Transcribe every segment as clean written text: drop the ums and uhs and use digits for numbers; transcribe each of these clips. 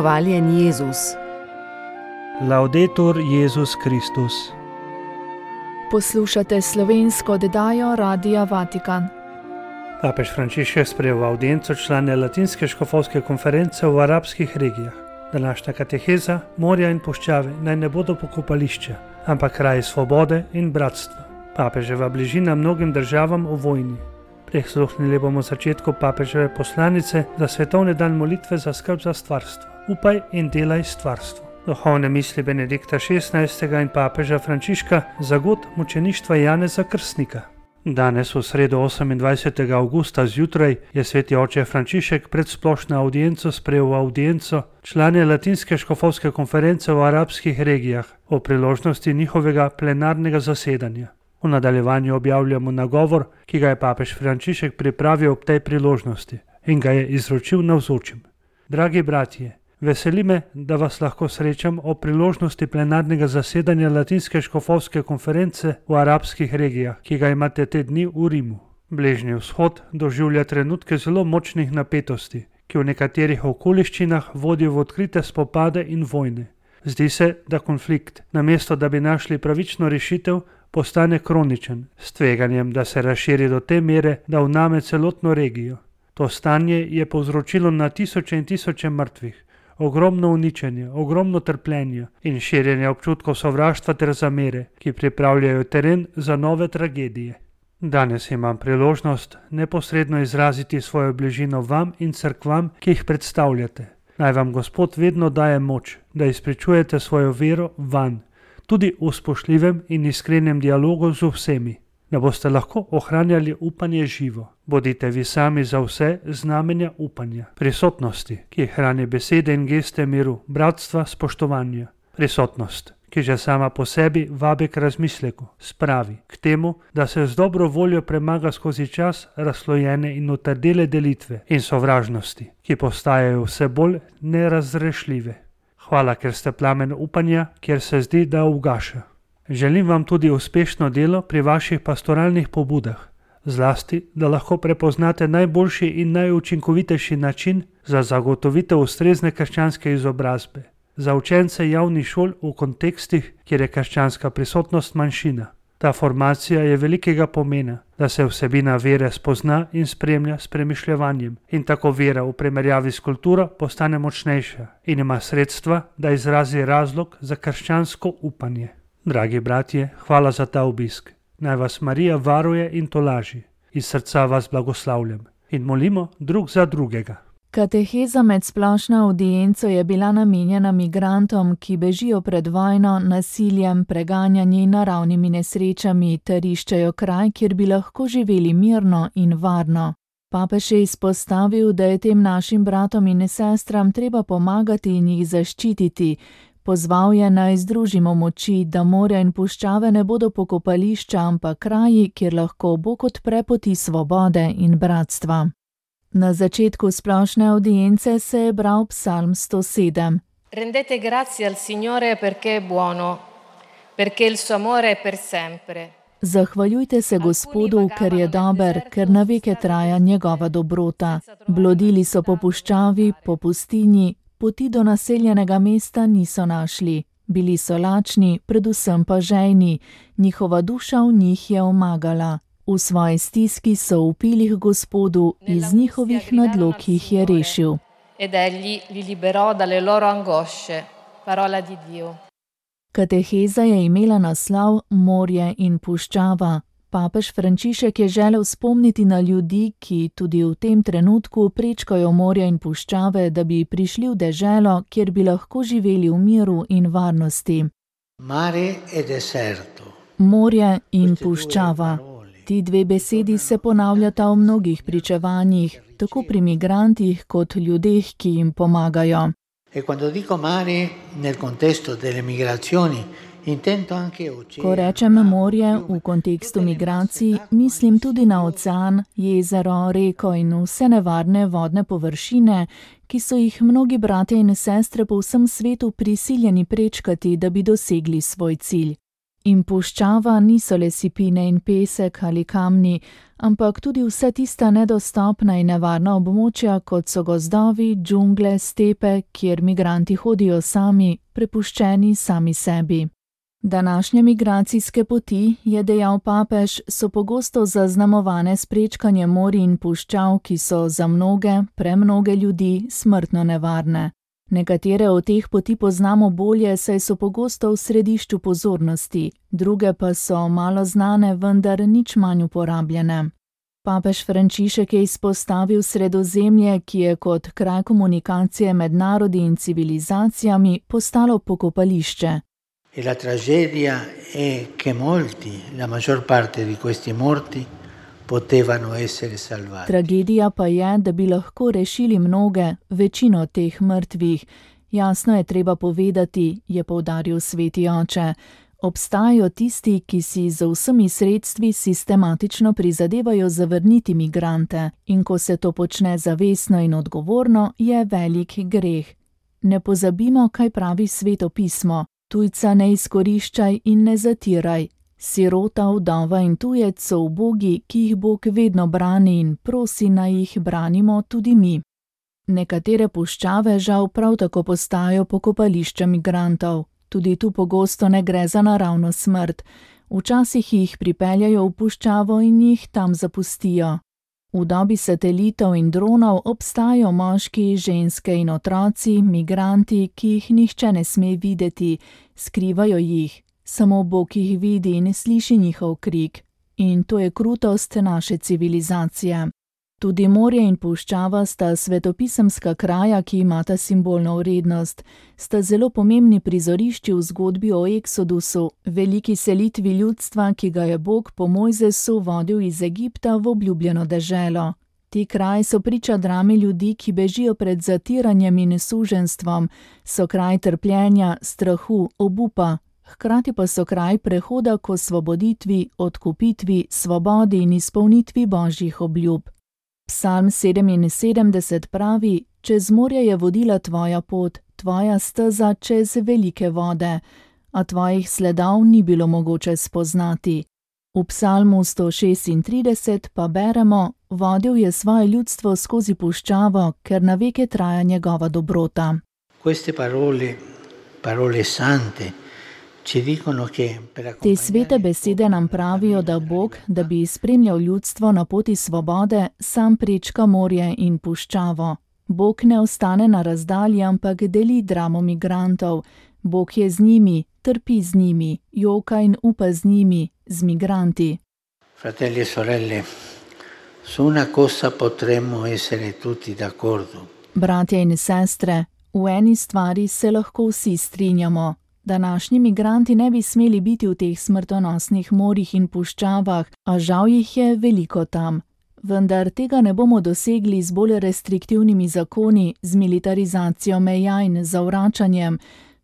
Hvaljen Jezus. Laudetur Jezus Kristus. Poslušate slovensko oddajo Radia Vatikan. Papež Frančišek sprejel v avdienco člane Latinske škofovske konference v arabskih regijah. Današnja kateheza, morja in puščave naj ne bodo pokopališča, ampak kraji svobode in bratstva. Papeževa bližina mnogim državam v vojni. Prisluhnili bomo začetku papeževe poslanice za svetovni dan molitve za skrb za stvarstvo. Upaj in delaj stvarstvo. Duhovne misli Benedikta XVI. In papeža Frančiška za god mučeništva Janeza Krstnika. Danes v sredo 28. avgusta zjutraj je sveti oče Frančišek pred splošno avdienco sprejel v avdienco člane Latinske škofovske konference v arabskih regijah o priložnosti njihovega plenarnega zasedanja. V nadaljevanju objavljamo nagovor, ki ga je papež Frančišek pripravil ob tej priložnosti in ga je izročil navzočim. Dragi bratje, veseli me, da vas lahko srečam o priložnosti plenarnega zasedanja Latinske škofovske konference v arabskih regijah, ki ga imate te dni v Rimu. Bližnji vzhod doživlja trenutke zelo močnih napetosti, ki v nekaterih okoliščinah vodijo v odkrite spopade in vojne. Zdi se, da konflikt, namesto da bi našli pravično rešitev, postane kroničen, s tveganjem, da se razširi do te mere, da vname celotno regijo. To stanje je povzročilo na tisoče in tisoče mrtvih, ogromno uničenja, ogromno trpljenja in širjenja občutkov sovraštva ter zamere, ki pripravljajo teren za nove tragedije. Danes imam priložnost neposredno izraziti svojo bližino vam in cerkvam, ki jih predstavljate. Naj vam Gospod vedno daje moč, da izpričujete svojo vero vanj, tudi v spoštljivem in iskrenem dialogu z vsemi, da boste lahko ohranjali upanje živo. Bodite vi sami za vse znamenja upanja, prisotnosti, ki hrani besede in geste miru, bratstva, spoštovanja. Prisotnost, ki že sama po sebi vabi k razmisleku, spravi k temu, da se z dobro voljo premaga skozi čas razslojene in utrdele delitve in sovražnosti, ki postajajo vse bolj nerazrešljive. Hvala, ker ste plamen upanja, kjer se zdi, da ugaša. Želim vam tudi uspešno delo pri vaših pastoralnih pobudah, zlasti, da lahko prepoznate najboljši in najučinkovitejši način za zagotovitev ustrezne krščanske izobrazbe, za učence javnih šol v kontekstih, kjer je krščanska prisotnost manjšina. Ta formacija je velikega pomena, da se vsebina vere spozna in spremlja s premišljevanjem in tako vera v primerjavi s kulturo postane močnejša in ima sredstva, da izrazi razlog za krščansko upanje. Dragi bratje, hvala za ta obisk. Naj vas Marija varuje in tolaži. Iz srca vas blagoslavljam in molimo drug za drugega. Kateheza med splošno avdienco je bila namenjena migrantom, ki bežijo pred vojno, nasiljem, preganjanji in naravnimi nesrečami ter iščejo kraj, kjer bi lahko živeli mirno in varno. Papež je izpostavil, da je tem našim bratom in sestram treba pomagati in jih zaščititi. Pozval je, naj združimo moči, da morja in puščave ne bodo pokopališča, ampak kraji, kjer lahko Bog odpre poti svobode in bratstva. Na začetku splošne avdience se je bral psalm 107. Rendete grazie al Signore perché è buono, perché il suo amore è per sempre. Zahvaljujte se Gospodu, ker je dober, ker na veke traja njegova dobrota. Blodili so po puščavi, po pustinji, poti do naseljenega mesta niso našli. Bili so lačni, predvsem pa žejni, njihova duša v njih je omagala. V svoji stiski so vpili k Gospodu, iz njihovih nadlog jih je rešil. Ed egli li liberò dalle loro angosce. Parola di Dio. Kateheza je imela naslov Morje in puščava. Papež Frančišek je želel spomniti na ljudi, ki tudi v tem trenutku prečkajo morja in puščave, da bi prišli v deželo, kjer bi lahko živeli v miru in varnosti. Mare e deserto. Morje in puščava. Ti dve besedi se ponavljata v mnogih pričevanjih, tako pri migrantih kot ljudeh, ki jim pomagajo. E quando dico mare nel contesto delle migrazioni, intendo anche oceano. Ko rečem morje v kontekstu migracij, mislim tudi na ocean, jezero, reko in vse nevarne vodne površine, ki so jih mnogi bratje in sestre po vsem svetu prisiljeni prečkati, da bi dosegli svoj cilj. In puščava niso le sipine in pesek ali kamni, ampak tudi vsa tista nedostopna in nevarna območja, kot so gozdovi, džungle, stepe, kjer migranti hodijo sami, prepuščeni sami sebi. Današnje migracijske poti, je dejal papež, so pogosto zaznamovane s prečkanjem morij in puščav, ki so za mnoge, premnoge ljudi, smrtno nevarne. Nekatere od teh poti poznamo bolje, saj so pogosto v središču pozornosti, druge pa so malo znane, vendar nič manj uporabljene. Papež Frančišek je izpostavil Sredozemlje, ki je kot kraj komunikacije med narodi in civilizacijami postalo pokopališče. E la tragedia è che molti, la maggior parte di questi morti, potevano essere salvati. Tragedija pa je, da bi lahko rešili mnoge, večino teh mrtvih. Jasno je treba povedati, je poudaril sveti oče. Obstajajo tisti, ki si z vsemi sredstvi sistematično prizadevajo zavrniti migrante, in ko se to počne zavestno in odgovorno, je velik greh. Ne pozabimo, kaj pravi Sveto pismo. Tujca ne izkoriščaj in ne zatiraj. Sirota, vdova in tujec so ubogi, ki jih Bog vedno brani in prosi, naj jih branimo tudi mi. Nekatere puščave žal prav tako postajajo pokopališča migrantov. Tudi tu pogosto ne gre za naravno smrt. Včasih jih pripeljajo v puščavo in jih tam zapustijo. V dobi satelitov in dronov obstajajo moški, ženske in otroci, migranti, ki jih nihče ne sme videti, skrivajo jih. Samo Bog jih vidi in sliši njihov krik. In to je krutost naše civilizacije. Tudi morje in puščava sta svetopisemska kraja, ki imata simbolno vrednost. Sta zelo pomembni prizorišči v zgodbi o Eksodusu, veliki selitvi ljudstva, ki ga je Bog po Mojzesu vodil iz Egipta v obljubljeno deželo. Ti kraji so priča drame ljudi, ki bežijo pred zatiranjem in suženjstvom, so kraj trpljenja, strahu, obupa. Hkrati pa so kraj prehoda k osvoboditvi, odkupitvi, svobodi in izpolnitvi božjih obljub. Psalm 77 pravi: Čez morje je vodila tvoja pot, tvoja steza čez velike vode, a tvojih sledov ni bilo mogoče spoznati. V psalmu 136 pa beremo: Vodil je svoje ljudstvo skozi puščavo, ker na veke traja njegova dobrota. Queste parole sante, te svete besede nam pravijo, da Bog, da bi spremljal ljudstvo na poti svobode, sam prečka morje in puščavo. Bog ne ostane na razdalji, ampak deli dramo migrantov. Bog je z njimi, trpi z njimi, joka in upa z njimi, z migranti. Fratelli e sorelle, su una cosa potremmo essere tutti d'accordo. Bratje in sestre, v eni stvari se lahko vsi strinjamo. Današnji migranti ne bi smeli biti v teh smrtonosnih morjih in puščavah, a žal jih je veliko tam. Vendar tega ne bomo dosegli z bolj restriktivnimi zakoni, z militarizacijo meja in zavračanjem.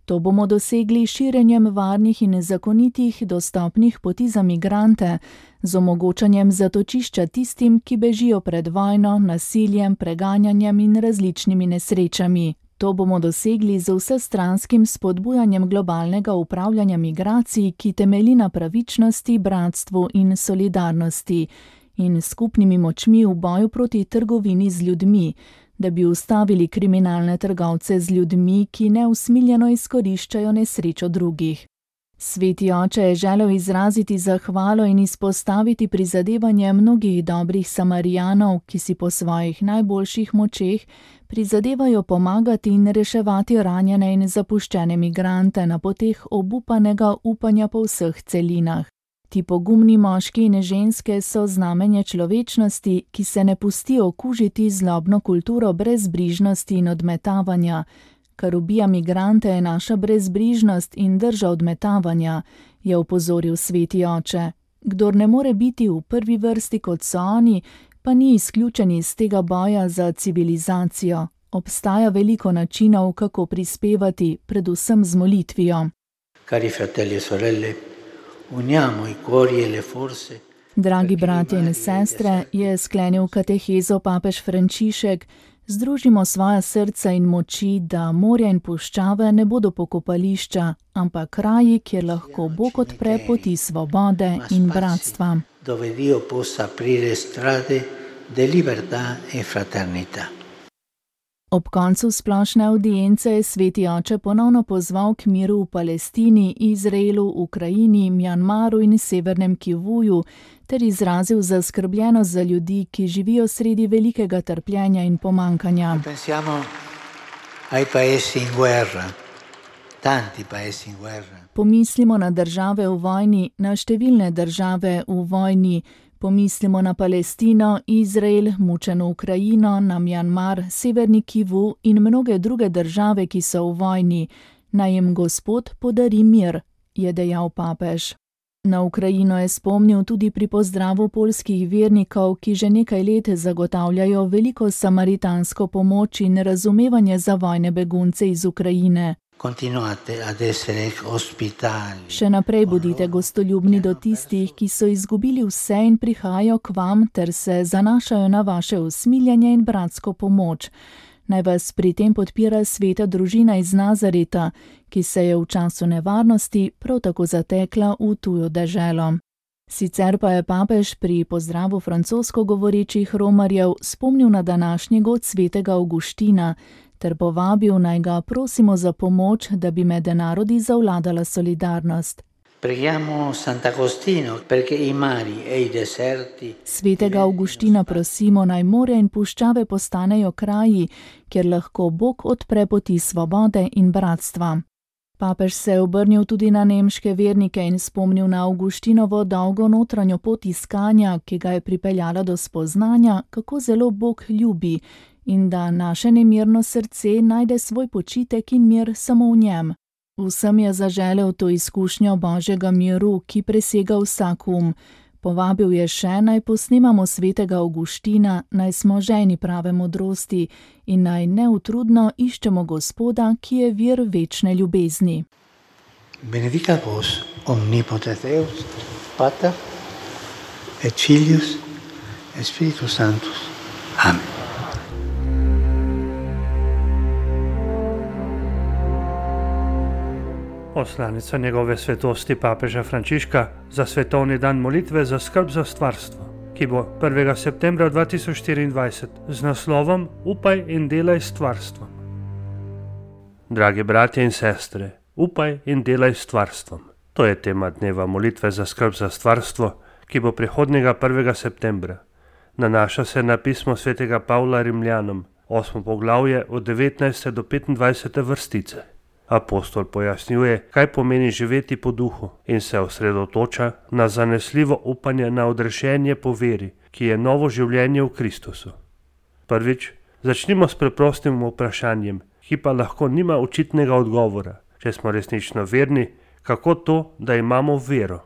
To bomo dosegli širjenjem varnih in zakonitih dostopnih poti za migrante, z omogočanjem zatočišča tistim, ki bežijo pred vojno, nasiljem, preganjanjem in različnimi nesrečami. To bomo dosegli z vsestranskim spodbujanjem globalnega upravljanja migracij, ki temelji na pravičnosti, bratstvu in solidarnosti, in skupnimi močmi v boju proti trgovini z ljudmi, da bi ustavili kriminalne trgovce z ljudmi, ki neusmiljeno izkoriščajo nesrečo drugih. Sveti oče je želel izraziti zahvalo in izpostaviti prizadevanje mnogih dobrih Samarijanov, ki si po svojih najboljših močeh prizadevajo pomagati in reševati ranjene in zapuščene migrante na poteh obupanega upanja po vseh celinah. Ti pogumni moški in ženske so znamenje človečnosti, ki se ne pustijo okužiti zlobno kulturo brezbrižnosti in odmetavanja. Kar ubija migrante, je naša brezbrižnost in drža odmetavanja, je opozoril sveti oče. Kdor ne more biti v prvi vrsti kot so oni, pa ni izključen iz tega boja za civilizacijo. Obstaja veliko načinov, kako prispevati, predvsem z molitvijo. Cari fratelli e sorelle, uniamo i cuori e le forze. Dragi bratje in sestre, je sklenil katehezo papež Frančišek, Združimo svoja srca in moči, da morja in puščave ne bodo pokopališča, ampak kraji, kjer lahko Bog odpre poti svobode in bratstva. Dove Dio possa aprire strade di libertà e fraternità. Ob koncu splošne avdience je Sveti oče ponovno pozval k miru v Palestini, Izraelu, Ukrajini, Mjanmaru in Severnem Kivuju ter izrazil zaskrbljenost za ljudi, ki živijo sredi velikega trpljenja in pomankanja. Pensiamo ai paesi in guerra, tanti paesi in guerra. Pomislimo na države v vojni, na številne države v vojni. Pomislimo na Palestino, Izrael, mučeno Ukrajino, na Mjanmar, Severni Kivu in mnoge druge države, ki so v vojni. Naj jim Gospod podari mir, je dejal papež. Na Ukrajino je spomnil tudi pri pozdravu poljskih vernikov, ki že nekaj let zagotavljajo veliko samaritansko pomoč in razumevanje za vojne begunce iz Ukrajine. Še naprej bodite gostoljubni do tistih, ki so izgubili vse in prihajajo k vam ter se zanašajo na vaše usmiljenje in bratsko pomoč. Naj vas pri tem podpira sveta družina iz Nazareta, ki se je v času nevarnosti prav tako zatekla v tujo deželo. Sicer pa je papež pri pozdravu francosko govorečih romarjev spomnil na današnji god svetega Avguština, ter povabil naj ga prosimo za pomoč, da bi med narodi zavladala solidarnost. Svetega Avguština prosimo, naj morja in puščave postanejo kraji, kjer lahko Bog odpre poti svobode in bratstva. Papež se je obrnil tudi na nemške vernike in spomnil na Avguštinovo dolgo notranjo pot iskanja, ki ga je pripeljala do spoznanja, kako zelo Bog ljubi, in da naše nemirno srce najde svoj počitek in mir samo v njem. Vsem je zaželel to izkušnjo Božjega miru, ki presega vsak Povabil je še, naj posnemamo svetega Avguština, naj smo žejni prave modrosti in naj neutrudno iščemo Gospoda, ki je vir večne ljubezni. Benedicat vos omnipotens Deus, Pater et Filius et Spiritus Sanctus. Amen. Poslanica njegove svetosti papeža Frančiška za svetovni dan molitve za skrb za stvarstvo, ki bo 1. septembra 2024 z naslovom Upaj in delaj s stvarstvom. Dragi bratje in sestre, upaj in delaj s stvarstvom. To je tema dneva molitve za skrb za stvarstvo, ki bo prihodnjega 1. septembra. Nanaša se na pismo svetega Pavla Rimljanom, 8. poglavje od 19. do 25. vrstice. Apostol pojasnjuje, kaj pomeni živeti po duhu in se osredotoča na zanesljivo upanje na odrešenje po veri, ki je novo življenje v Kristusu. Prvič, začnimo s preprostim vprašanjem, ki pa lahko nima očitnega odgovora. Če smo resnično verni, kako to, da imamo vero?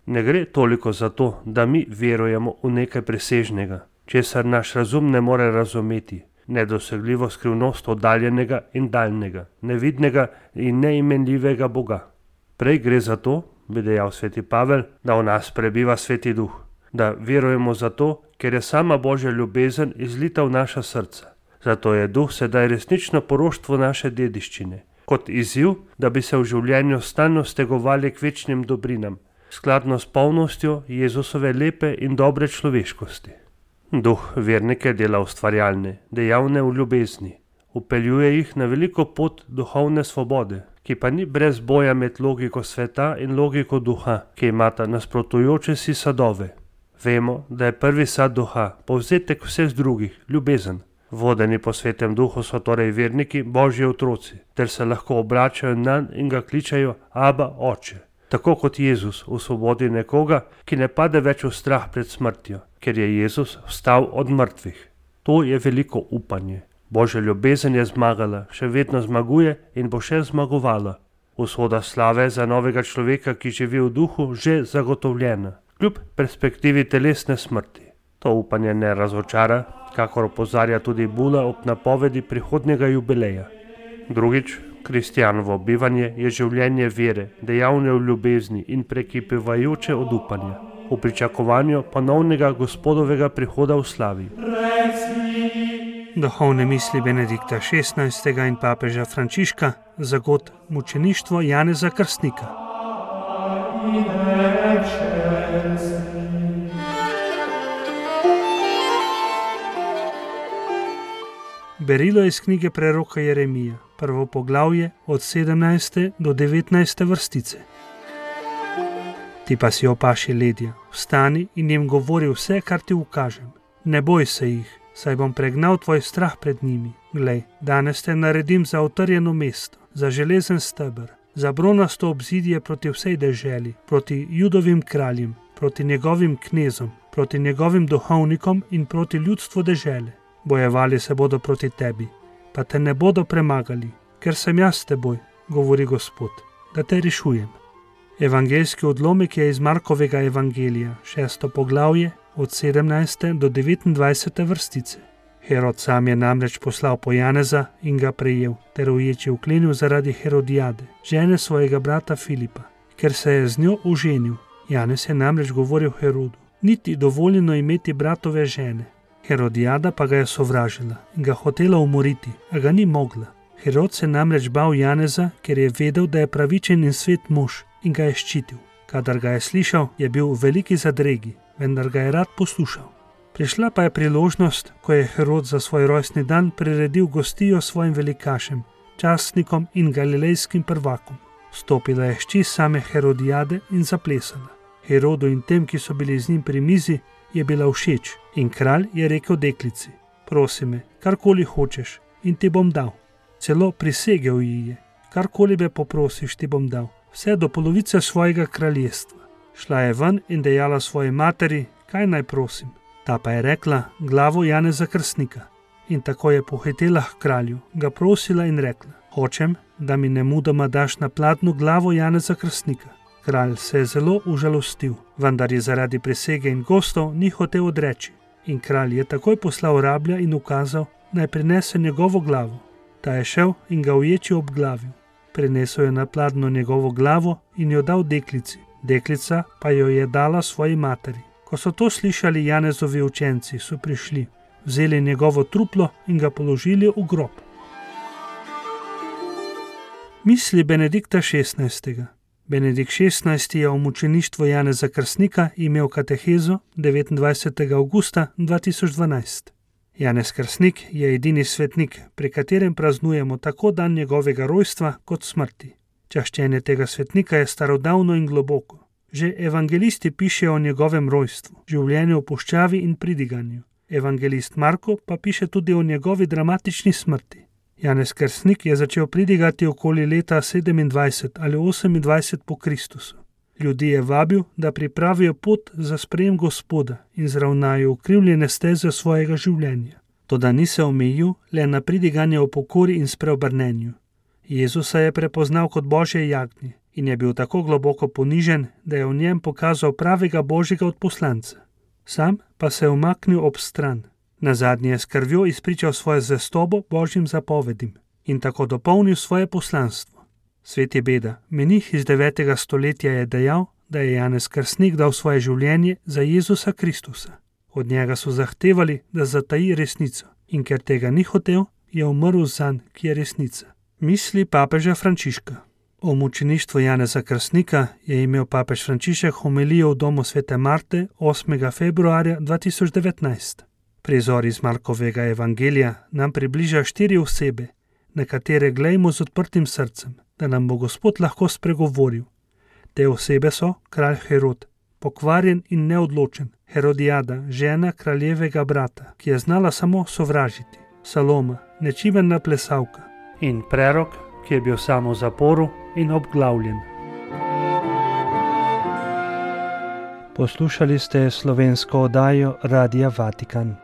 Ne gre toliko za to, da mi verujemo v nekaj presežnega, česar naš razum ne more razumeti. Nedosegljivo skrivnost oddaljenega in daljnega, nevidnega in neimenljivega Boga. Prej gre za to, bi dejal sveti Pavel, da v nas prebiva sveti duh, da verujemo zato, ker je sama Božja ljubezen izlita v naša srca. Zato je duh sedaj resnično poroštvo naše dediščine, kot izziv, da bi se v življenju stalno stegovali k večnim dobrinam, skladno s polnostjo Jezusove lepe in dobre človeškosti. Duh vernike dela ustvarjalne, dejavne v ljubezni, upeljuje jih na veliko pot duhovne svobode, ki pa ni brez boja med logiko sveta in logiko duha, ki imata nasprotujoče si sadove. Vemo, da je prvi sad duha, povzetek vseh drugih, ljubezen. Vodeni po svetem duhu so torej verniki Božji otroci, ter se lahko obračajo nanj in ga kličajo Aba, Oče. Tako kot Jezus osvobodi nekoga, ki ne pade več v strah pred smrtjo, ker je Jezus vstal od mrtvih. To je veliko upanje. Božja ljubezen je zmagala, še vedno zmaguje in bo še zmagovala. Usoda slave za novega človeka, ki živi v duhu, že zagotovljena, kljub perspektivi telesne smrti. To upanje ne razočara, kakor opozarja tudi Bula ob napovedi prihodnjega jubileja. Drugič, kristjanovo bivanje je življenje vere, dejavne v ljubezni in prekipevajoče od upanja, v pričakovanju ponovnega Gospodovega prihoda v slavi. Duhovne misli Benedikta XVI. In papeža Frančiška za god mučeništvo Janeza Krstnika. Berilo iz knjige preroka Jeremija, prvo poglavje od 17. do 19. vrstice. Ti pa si opaši ledja, vstani in jim govori vse, kar ti ukažem. Ne boj se jih, saj bom pregnal tvoj strah pred njimi. Glej, danes te naredim za utrjeno mesto, za železen steber, za bronasto obzidje proti vsej deželi, proti Judovim kraljem, proti njegovim knezom, proti njegovim duhovnikom in proti ljudstvu dežele. Bojevali se bodo proti tebi, pa te ne bodo premagali, ker sem jaz s teboj, govori Gospod, da te rešujem. Evangeljski odlomek je iz Markovega evangelija, 6. poglavje, od 17. do 29. vrstice. Herod sam je namreč poslal po Janeza in ga prejel, ter uječi vklenil zaradi Herodijade, žene svojega brata Filipa, ker se je z njo oženil. Janez je namreč govoril Herodu, niti dovoljeno imeti bratove žene. Herodijada pa ga je sovražila in ga hotela umoriti, a ga ni mogla. Herod se namreč bal Janeza, ker je vedel, da je pravičen in svet mož, in ga je ščitil. Kadar ga je slišal, je bil v veliki zadregi, vendar ga je rad poslušal. Prišla pa je priložnost, ko je Herod za svoj rojstni dan priredil gostijo svojim velikašem, častnikom in galilejskim prvakom. Stopila je hči same Herodijade in zaplesala. Herodu in tem, ki so bili z njim pri mizi, je bila všeč in kralj je rekel deklici, prosi me, karkoli hočeš in ti bom dal. Celo prisegel ji je, karkoli me poprosiš, ti bom dal, vse do polovice svojega kraljestva. Šla je ven in dejala svoji materi, kaj naj prosim. Ta pa je rekla, glavo Janeza Krstnika. In tako je pohitela k kralju, ga prosila in rekla, hočem, da mi nemudoma daš na pladnju glavo Janeza Krstnika. Kralj se je zelo užalostil, vendar je zaradi prisege in gostov ni hotel odreči. In kralj je takoj poslal rablja in ukazal, naj prinese njegovo glavo. Ta je šel in ga uječi obglavil. Prinesel je na pladnju njegovo glavo in jo dal deklici. Deklica pa jo je dala svoji materi. Ko so to slišali Janezovi učenci, so prišli, vzeli njegovo truplo in ga položili v grob. Misli Benedikta XVI. Benedikt XVI. Je o mučeništvu Janeza Krstnika imel katehezo 29. avgusta 2012. Janez Krstnik je edini svetnik, pri katerem praznujemo tako dan njegovega rojstva kot smrti. Čaščenje tega svetnika je starodavno in globoko. Že evangelisti pišejo o njegovem rojstvu, življenju v puščavi in pridiganju. Evangelist Marko pa piše tudi o njegovi dramatični smrti. Janez Krstnik je začel pridigati okoli leta 27 ali 28 po Kristusu. Ljudi je vabil, da pripravijo pot za sprejem Gospoda in zravnajo ukrivljene steze svojega življenja. Toda ni se omejil le na pridiganje o pokori in spreobrnenju. Jezusa je prepoznal kot Božje jagnje in je bil tako globoko ponižen, da je v njem pokazal pravega Božjega odposlanca. Sam pa se je umaknil ob stran. Nazadnje je s krvjo izpričal svojo zvestobo Božjim zapovedim in tako dopolnil svoje poslanstvo. Sveti Beda, menih iz 9. stoletja, je dejal, da je Janez Krstnik dal svoje življenje za Jezusa Kristusa. Od njega so zahtevali, da zataji resnico in ker tega ni hotel, je umrl zanj, ki je resnica. Misli papeža Frančiška. O mučeništvu Janeza Krstnika je imel papež Frančišek homilijo v domu svete Marte 8. februarja 2019. Prizor iz Markovega evangelija nam približa 4 osebe, na katere glejmo z odprtim srcem, da nam bo Gospod lahko spregovoril. Te osebe so kralj Herod, pokvarjen in neodločen, Herodijada, žena kraljevega brata, ki je znala samo sovražiti, Saloma, nečimena plesalka, in prerok, ki je bil samo v zaporu in obglavljen. Poslušali ste slovensko oddajo Radia Vatikan.